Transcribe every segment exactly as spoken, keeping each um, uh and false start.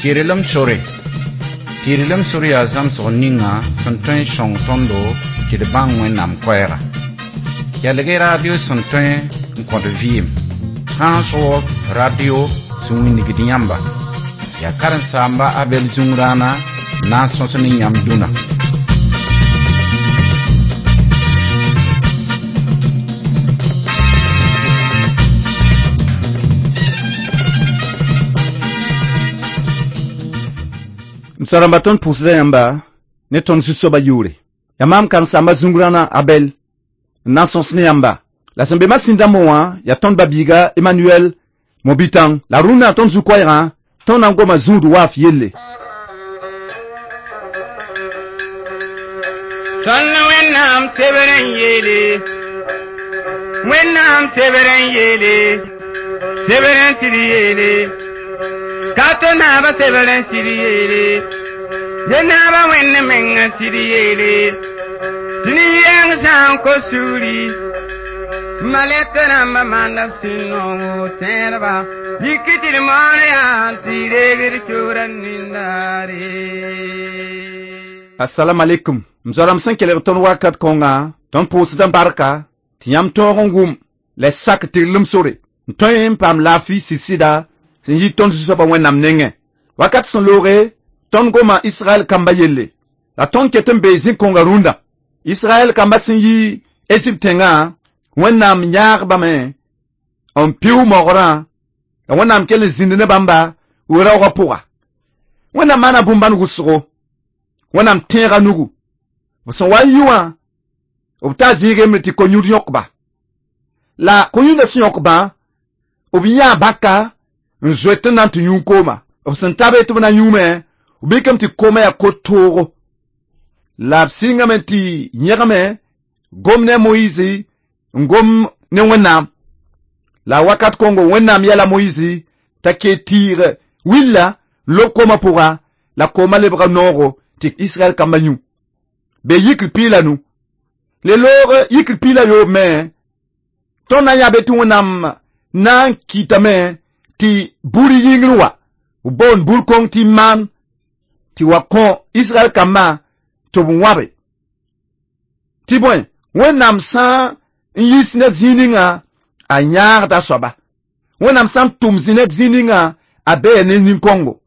Tɩrlem sore. Tɩrlem sore yaa zãmsg ninga sẽn tõe n sõng tõndo tɩ d bãng Wẽnnaam koɛɛga. Kelg-y radio sẽn tõe n kõt vɩɩm. Transworld Radio sẽn wilgd yãmba. Yaa karen-saamba Abel Zũngrãana n na n sõs ne yãmb dũnna. M soa-rãmba tõnd pʋʋsda yãmba ne tõnd zu-soabã yʋʋre. Yaa maam karen-saamba Zũngrãna Abel n na n sõs ne yãmba. La sẽn be masĩn dãmbẽ wã yaa tõnd ba-biiga Emmanuel Mobitãng. La rũnnã tõnd zu-koɛɛgã tõnd na n goma zũud waaf yelle. Tõnd Wẽnnaam sebr n yeele, Wẽnnaam sebr n yeele, sebr n sɩd yeele, ka to naaba sebr n sɩd yeele, ye naaba Wẽnd meng n sɩd yeele, tɩ nin-yɛng sã n kos sugri, malɛk rãmbã maanda sũ-noogo tẽedba, yik tɩ d moon yaa tɩ reeg d sʋʋra nindaare. Assalamu alaikum. M zoa-rãmb sẽn kelg tõnd wakat kõnga, tõnd pʋʋsd n barka tɩ yãmb tõog n wʋm la y sak tɩrlem sore n tõe n paam laafɩ sɩd-sɩda sẽn yi tõnd Zu-soabã Wẽnnaam nengẽ. Wakat sẽn looge, tõnd goma Israɛl kamba yelle. La tõnd ket n bee zĩ-kõnga rũndã. Israɛl kamba sẽn yi Ezipt tẽngã, Wẽnnaam yãagbame n pɩʋ mogrã, la Wẽnnaam kell n zĩnd ne bãmba we-raoogã pʋga. Wẽnnaam maana bũmb-bãn wʋsgo. Wẽnnaam tẽega nugu. B sẽn wa n yi wã, b taa zĩig yembre tɩ ko-yũud yõkba. La ko-yũudã sẽn yõkbã, b yãa bãka n zoet n na n tɩ yũ kooma. B sẽn ta be tɩ b na yũume, b mikame tɩ koomã yaa ko-toogo. La b sɩngame tɩ yẽgme gom ne a Moyiisi n gom ne Wẽnnaam. La wakat kõngo Wẽnnaam yɛla Moyiisi t'a kee tɩɩg willa n lob koomã pʋga, la koomã lebga noogo tɩ Israɛl kambã yũ. Be yikr piig la nu. Le loog yikr piig la yoob me, tõnd na n yaa be tɩ Wẽnnaam na n kɩtame tɩ buri yĩngr wa, b boond bur-kõng tɩ maan, tɩ wa kõ Israɛl kambã tɩ b wãbe. Tɩ bõe, Wẽnnaam sã n yiis ned zĩig ninga, a yãagda soaba. Wẽnnaam sã n tʋm zĩ ned zĩig ninga, a bee ne nin-kõngo.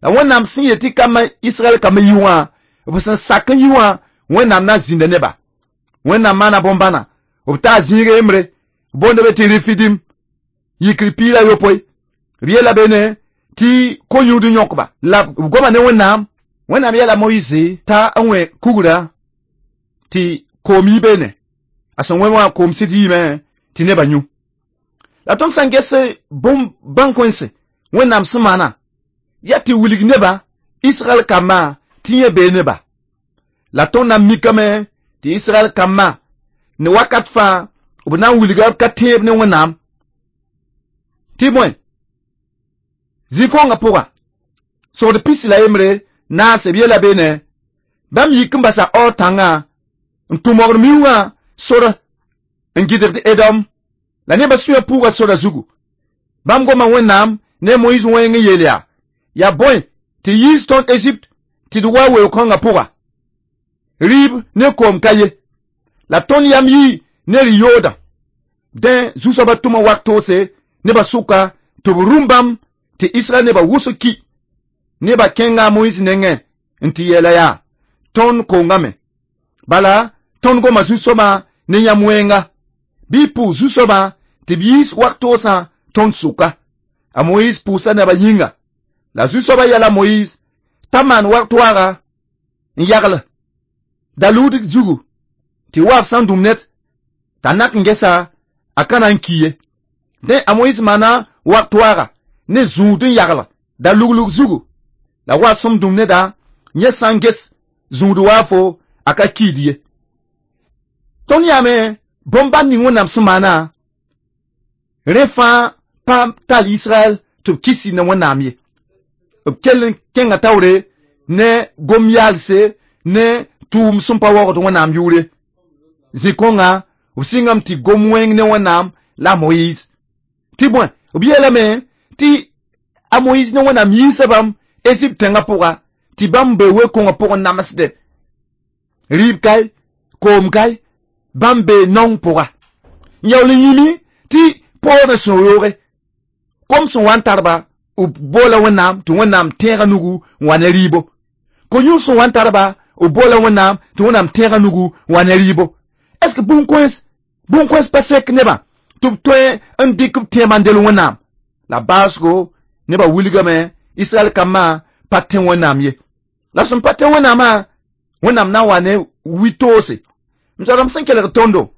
La Wẽnnaam sẽn yet tɩ kambã Israɛl kambã yi wã, b sẽn sak n yi wã, Wẽnnaam na n zĩnda neba. Wẽnnaam maana bõn-bãna, b taa zĩig yembre, b boonda be tɩ Refidim, yikr piig la yopoe. B yeela be ne tɩ ko-yũud n yõkba. La b goma ne Wẽnnaam. Wẽnnaam yɛla Moyiisi t'a n wẽ kugrã tɩ koom yi beene. A sẽn wẽ wã koom sɩd yiime tɩ nebã yũ. La tõnd sã n ges bũmb bãn-kõense Wẽnnaam sẽn maana, yaa tɩ wilg neba, Israɛl kambã tɩ yẽ bee neba. La tõnd na n mikame tɩ Israɛl kambã ne wakat fãa b na n wilga b ka tẽeb ne Wẽnnaam. Tɩ bõe, zĩ-kõngã pʋga, sogd pisi la yembre naase b yeela beene, bãmb yik n basa aoor tãngã n tũ mogr miuugã sor n gɩdgd Edom. La nebã sũyã puuga sora zugu. Bãmb goma Wẽnnaam ne a Moyiis wẽng n yeel yaa, yaa bõe tɩ yiis tõnd Ezipt tɩ d wa weoog-kãngã pʋga. Rɩɩb ne koom ka ye. La tõnd yam yii ne rɩ-yoodã. Dẽ zu-soabã tʋma wak toose nebã sʋka tɩ b rũm bãmb tɩ Israɛl nebã wʋsg ki. Nebã kẽnga a Moyiis nengẽ n tɩ yeela yaa, tõnd kongame. Bala, tõnd goma zu-soabã ne yãmb wẽnga. Bɩ y pʋʋs zu-soabã tɩ b yiis wak toosã tõnd sʋka. A Moyiis pʋʋsa nebã yĩnga. La zu-soabã yɛla Moyiis t'a maan wak toaaga n yagl da-luud zugu tɩ waaf sã n dũm ned t'a nak n gesa a ka na n ki ye. Dẽ a Moyiis maana wak toaaga ne zũud n yagl da-luglug zugu. La waaf sẽn dũm neda yẽ sã n ges zũud waafo a ka kiid ye. Tõnd yaame bõn-bãn ning Wẽnnaam sẽn maana, rẽ fãa pa tall Israɛl tɩ b kis ne Wẽnnaam ye. B kell n kẽnga taoore ne gom-yaalse ne tʋʋm sẽn pa waoogd Wẽnnaam yʋʋre. Zĩ-kõnga b sɩngame tɩ gom wẽng ne Wẽnnaam la a Moyiis. Tɩ bõe, b yeelame tɩ a Moyiis ne Wẽnnaam yiisa bãmb Egypte tẽngã pʋga tɩ bãmb be we-kõngã pʋgẽ namsdẽ rɩɩb kae koom kae bãmb bee naong pʋga n yaool n yĩmi tɩ poorẽ sẽn yooge kom sẽn wa n tarba b boola Wẽnnaam tɩ Wẽnnaam tẽegã nugu n wa ne rɩɩbo ko-yũud sẽn wa n tarba b boola Wẽnnaam tɩ Wẽnnaam tẽegã nugu n wa ne rɩɩbo est ce que bũn-kõens bũn-kõens pa sek nebã tɩ b tõe n dɩk b tẽebã n del Wẽnnaam la baasgo nebã wilgame Israɛl kambã pa tẽ Wẽnnaam ye la sẽn pa tẽ Wẽnnaamã Wẽnnaam na n wa ne wi-toose m zoadame sẽn kelg tõndo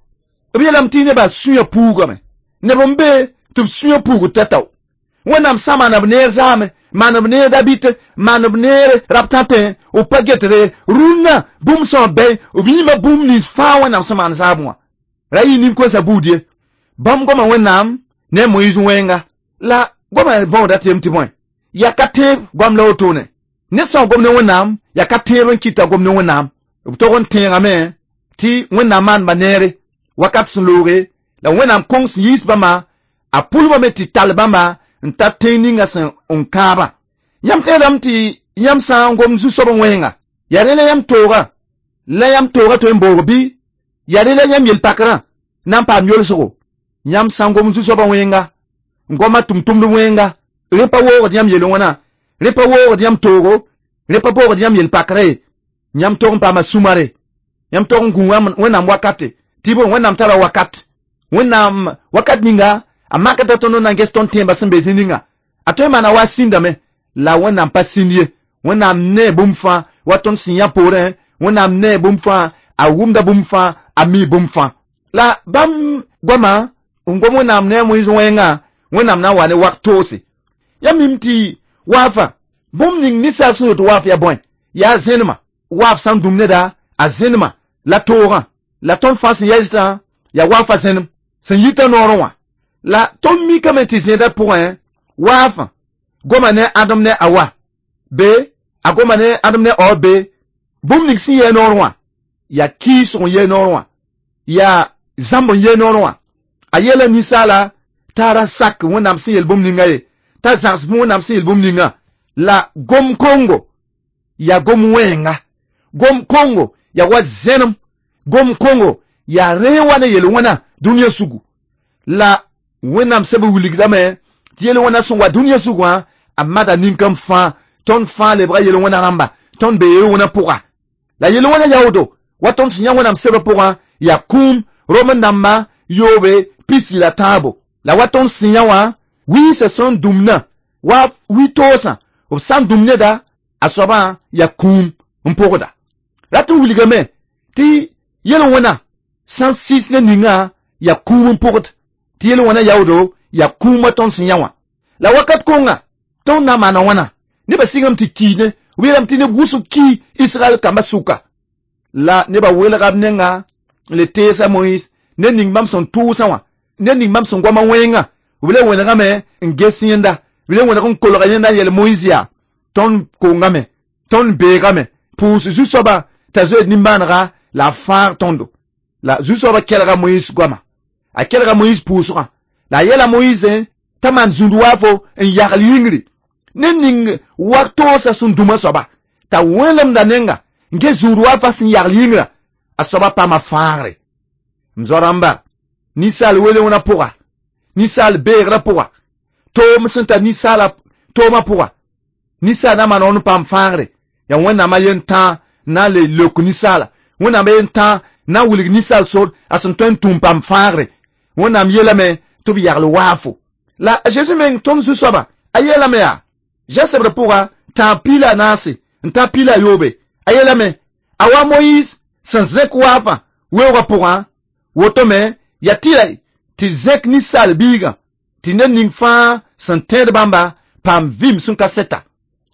b yeelame tɩ nebã sũyã puugame neb n be tɩ b sũyã puugd tao-tao Wẽnnaam sã maana b neer zaame maan b neer Dabit maan b neer rab tãtẽ b pa getre rũnnã bũmb sã bɛ b yĩma bũmb nins fãa Wẽnnaam sẽn maan zaabẽ wã ra yɩ nin-koensã buud ye bãmb goma Wẽnnaam ne a Moyiis wẽnga la goamã võoda tɩ yem tɩ bõe yaa ka tẽeb goam la wotone ned sã n gom ne Wẽnnaam yaa ka tẽeb n kɩta gom ne Wẽnnaam b tog n tẽegame tɩ Wẽnnaam maanba neere wakat sẽn looge la Wẽnnaam kõng sẽn yiis bãmba a pʋlbame tɩ tall bãmba n ta tẽng ninga sẽn n kãabã yãmb tẽedame tɩ yãmb sã n gom zu-soab wẽnga yaa rẽ la yãmb tooga la yãmb tooga tõe n boog bɩ yaa rẽ la yãmb yel-pakrã na n paam yolsgo yãmb sã n gom zu-soabã wẽnga n goma tʋm-tʋmd wẽnga rẽ pa woogd yãmb yel wãna rẽ pa woogd yãmb toogo rẽ pa boogd yãmb yel-pakra ye yãmb tog n paama sũmare yãmb tog n gũ Wẽnnaam wakate tɩ bõe Wẽnnaam tara wakat Wẽnnaam wakat ninga a makda tõnd n na n ges tõnd tẽebã sẽn be zĩ ninga a tõe n maana wa sĩndame la Wẽnnaam pa sĩnd ye Wẽnnaam nee bũmb fãa wa tõnd sẽn yã poorẽ Wẽnnaam nee bũmb fãa a wʋmda bũmb fãa a mi bũmb fãa la bãmb goamã n gom Wẽnnaam ne a Moyiis wẽnga Wẽnnaam na n wa ne wak toose yãmb mim tɩ waafa bũmb ning ninsaal sẽn yet waaf yaa bõe yaa zẽnema waaf sã n dũm neda a zẽnema la toogã la tõnd fãa sẽn yɛsdã yaa waafa zẽnem sẽn yita noorẽ wã la tõnd mikame tɩ zẽedã pʋgẽ waafã goma ne Adem ne Awa be a goma ne Adem ne Awa be bũmb ning sẽn yɛɛ noorẽ wã yaa kɩɩsg n yɛɛ noorẽ wã yaa zãmb n yɛɛ noorẽ wã a yeela ninsaala t'a ra sak Wẽnnaam sẽn yel bũmb ninga ye t'a zãgs Wẽnnaam sẽn yel bũmb ninga la gom kongo yaa gom wẽnga gom kongo yaa wa zẽnem gom kongo yaa rẽ wa ne yel-wẽna dũniyã sugu la Wẽnnaam sɛb wilgdame tɩ yel-wẽna sẽn wa dũniyã sug wã a mada nin-kãmb fãa tõnd fãa lebga yel-wẽna rãmba tõnd bee yel-wẽna pʋga la yel-wẽna yaoodo wa tõnd sẽn yã Wẽnnaam sebã pʋgã yaa kũum rom dãmba yoobe pisi la tãabo la wa tõnd sẽn yã wã wiisã sẽn dũmnã wa wi-toosã b sã n dũm neda a soabã yaa kũum n pʋgda rat n wilgame tɩ yel-wẽna sã n sɩs ne ninga yaa kũum n pʋgd tɩ yel-wẽna yaoodo yaa kũum wa tõnd sẽn yã wã la wakat kõnga tõnd na n maana wãna nebã sɩngame tɩ kiine b yeelame tɩ neb wʋsg ki Israɛl kambã sʋka la nebã welga b nenga n le teesa Moyiis ned ning bãmb sẽn tʋʋsã wã ned ning bãmb sẽn goamã wẽnga b le wẽnegame n ges yẽnda b le wẽneg n kolga yẽnda n yel Moyiis yaa tõnd kongame tõnd beegame pʋʋs zu-soabã t'a zoeed nimbãanega la a fãag tõndo la zu-soabã kelga Moyiis goama a kelga Moyiis pʋʋsgã la a yeela Moyiis t'a maan zũnd waafo n yagl yĩngri ned ning wak toosã sẽn dũma soaba t'a wẽlemda nenga n ges zũud waafa sẽn yagl yĩngrã a soaba paama fãagre m zoa-rãmba ninsaal wele-wẽna pʋga ninsaal beegrã pʋga toom sẽn tar ninsaala toomã pʋga ninsaal na maan n paam fãagre yaa Wẽnnaam a yen tãa na n le leok ninsaala Wẽnnaam a yen tãa na n wilg ninsaal sor a sẽn tõe n tũm paam fãagre Wẽnnaam yeelame tɩ b yagl waafo la a Zeezi meng tõnd zu-soaba a yeelame yaa zã-sebrã pʋga tãag piila a naase n ta piila a yoobe a yeelame a wa Moyiis sẽn zẽk waafã weoogã pʋgã woto me yaa tɩ la tɩ zẽk ninsaal biigã tɩ ned ning fãa sẽn tẽed bãmba paam vɩɩm sẽn ka sɛta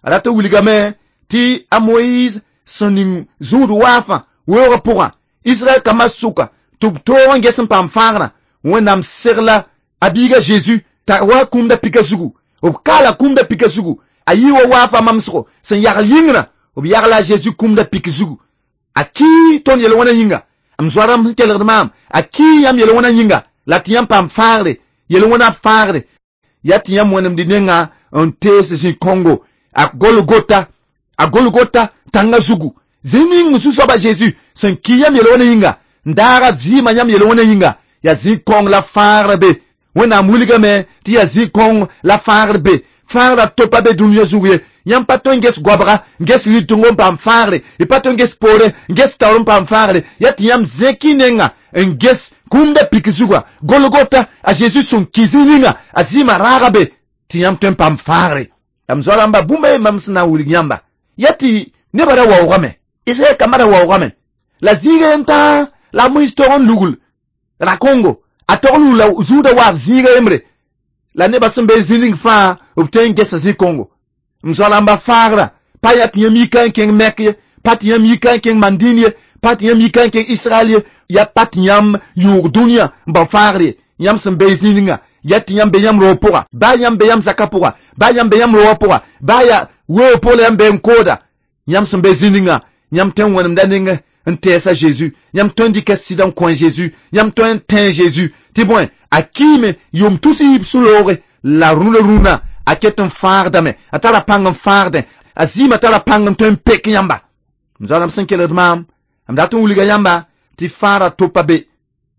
a rat n wilgame tɩ a Moyiis sẽn ning zũud waafã weoogã pʋgã Israɛl kambã sʋka tɩ b toog n ges n paam fãagrã Wẽnnaam segla a biiga Zeezi t'a wa kũumda pika zugu b kaala kũumda pika zugu a yɩ wa waafa mamsgo sẽn yagl yĩngrã b yagla a Zeezi kũumda pik zugu a kii tõnd yel-wẽna yĩnga m zoa-rãmb sẽn kelgd maam a kii yãmb yel-wẽna yĩnga la tɩ yãmb paam fãagre yel-wẽna fãagre yaa tɩ yãmb wẽnemd nenga n tees zĩ-kõngo A Golgota a Golgota tãngã zugu zĩ ning Zu-soabã Zeezi sẽn ki yãmb yel-wẽnã yĩnga n daaga vɩɩmã yãmb yel-wẽnã yĩnga yaa zĩ-kõng la fãagrã be Wẽnnaam wilgame tɩ yaa zĩ-kõng la fãagr be fãagrã to pa be dũniyã zug ye yãmb pa tõe n ges goabga n ges rɩteng n paam fãagre y pa tõe n ges poorẽ n ges taoor n paam fãagre yaa tɩ yãmb zẽk y nenga n ges kũmda pik zugã Golgota a Zeezi sẽn ki zĩ ninga a zɩɩmã raaga be tɩ yãmb tõe n paam fãagre la m zoa-rãmba bũmb a ye mam sẽn na n wilg yãmba yaa tɩ nebã ra waoogame Israɛl kambã ra waoogame la zĩiga yen tãa la a Moyiis tog n lugl ra-kongo a tog n lugla zũudã waaf zĩiga yembre la nebã sẽn be zĩ ning fãa b tõe n gesa zĩ-kongo m zoa-rãmba fãagrã pa yaa tɩ yãmb yika n kẽng Mɛk ye pa tɩ yãmb yika n kẽng Mandĩn ye pa tɩ yãmb yika n kẽng Israɛl ye yaa pa tɩ yãmb yʋʋg dũniyã n bao fãagr ye yãmb sẽn be zĩ ninga yaa tɩ yãmb be yãmb roog pʋga baa yãmb be yãmb zakã pʋga baa yãmb be yãmb roogã pʋga baa yaa weoog pʋg la yãmb be n kooda yãmb sẽn be zĩ ninga yãmb tõe n wẽnemda neng n tɛɛsa Zeezi yãmb tõe n dɩka sɩda n kõ Zeezi yãmb tõe n tẽ Zeezi tɩ bõe a kiime yʋʋm tus yiib sũ-looge la rũnã rũnã a ket n fãagdame a tara pãng n fãagdẽ a zɩɩmã tara pãng n tõe n pek yãmba m zoa-rãmb sẽn kelgd maam m dat n wilga yãmba tɩ fãagrã to pa be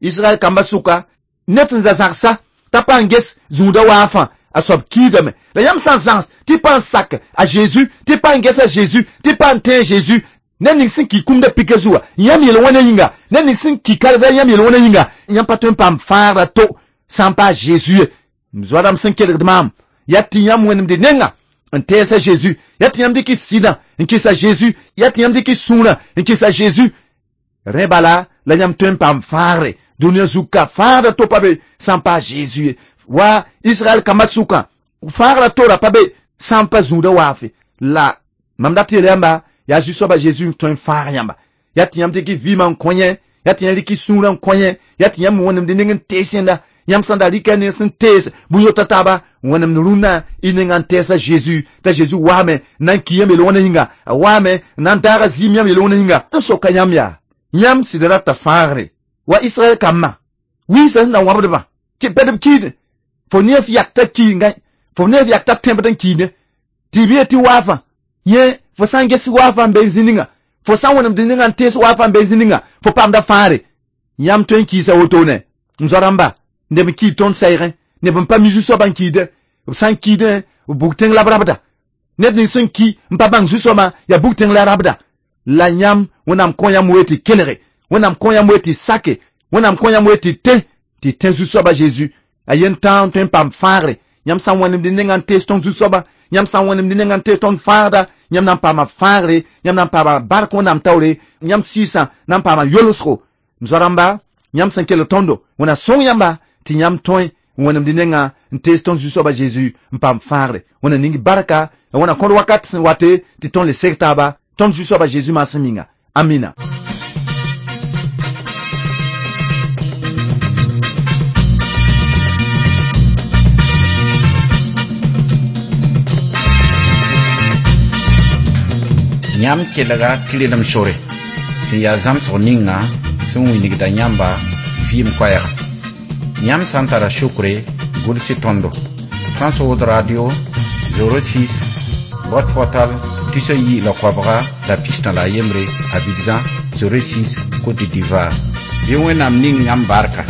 Israɛl kambã sʋka ned sẽn da zãgsa t'a pa n ges zũudã waafã a soab kiidame la yãmb sã n zãgs tɩ pa n sak a Zeezi tɩ pa n ges a Zeezi tɩ pa n tẽ Zeezi ned ning sẽn ki kũmda pika zuga yãmb yel-wẽnã yĩnga ned ning sẽn ki kalva yãmb yel-wẽnã yĩnga yãmb pa tõe n paam fãagrã to sã n pa a Zeezi ye m zoa-rãmb sẽn kelgd maam yaa tɩ yãmb wẽnemd nenga n tɛɛs a Zeezi yaa tɩ yãmb dɩk y sɩdã n kɩs a Zeezi yaa tɩ yãmb dɩk y sũurã n kɩs a Zeezi rẽ bala la yãmb tõe n paam fãagre dũniyã zug ka fãagrã to pa be sã n pa a Zeezi ye wa Israɛl kambã sʋkã fãagrã tora pa be sã n pa zũudã waafe la mam dat yeel yãmba yaa Zu-soabã Zeezi n tõe n fãag yãmba yaa tɩ yãmb dɩk y vɩɩmã n kõ yẽ yaa tɩ yãmb rɩk y sũurã n kõ yẽ yaa tɩ yãmb wẽnemd neng n tees yẽnda yãmb sã n da rɩka neng sẽn tees bũn-yota taaba wẽnemd rũnnã y nengã n tɛɛs a Zeezi t'a Zeezi waame n na n ki yãmb yel-wẽnã yĩnga a waame n na n daaga zɩɩm yãmb yel-wẽnã yĩnga tɩ soka yãmb yaa yãmb sɩd rata fãagre wa Israɛl kambã wiisã sẽn da wãbdbã bɛd b kiidẽ fo ne f yak t'a ki ngã fo ne f yak t'a tẽbd n kiide tɩ b yee tɩ waafã yẽ fo sã n ges waafã n be zĩ ninga fo sã n wẽnemd ninga n tees waafã n be zĩ ninga fo paamda fãagre yãmb tõe n kiisa wotone m zoa-rãmba neb n kiid tõnd saɩgẽ neb n pa mi Zu-soabã n kiide b sã n kiidẽ b bug tẽng la b rabda ned ning sẽn ki n pa bãng Zu-soabã yaa bug tẽng la rabda la yãmb Wẽnnaam kõ yãmb wee tɩ kelge Wẽnnaam kõ yãmb wee tɩ sake Wẽnnaam kõ yãmb wee tɩ tẽ tɩ tẽ Zu-soabã Zeezi a yen tãa n tõe n paam fãagre yãmb sã n wẽnemd nengã n tees tõnd Zu-soabã yãmb sã n wẽnemd nengã n tees tõnd fãagda yãmb na n paama fãagre yãmb na n paama bark Wẽnnaam taoore yãmb sɩɩsã na n paama yolsgo m zoa-rãmba yãmb sẽn kelg tõndo Wẽnna sõng yãmba tɩ yãmb tõe n wẽnemd nengã n tees tõnd Zu-soabã Zeezi n paam fãagre Wẽnna ning barka la Wẽnna kõd wakat sẽn wate tɩ tõnd le seg taaba tõnd Zu-soabã Zeezi maasem yĩnga amina. Yãmb kelga tɩrlem sore sẽn yaa zãmsg ninga sẽn wilgda yãmba vɩɩm koɛɛga yãmb sã n tara sukre gʋls tõndo Trans World Radio zéro six boîte postale tusa yi la koabga la pistã la a yembre Abidjan zéro six Côte d'Ivoire. Bɩ Wẽnnaam ning yãmb barka.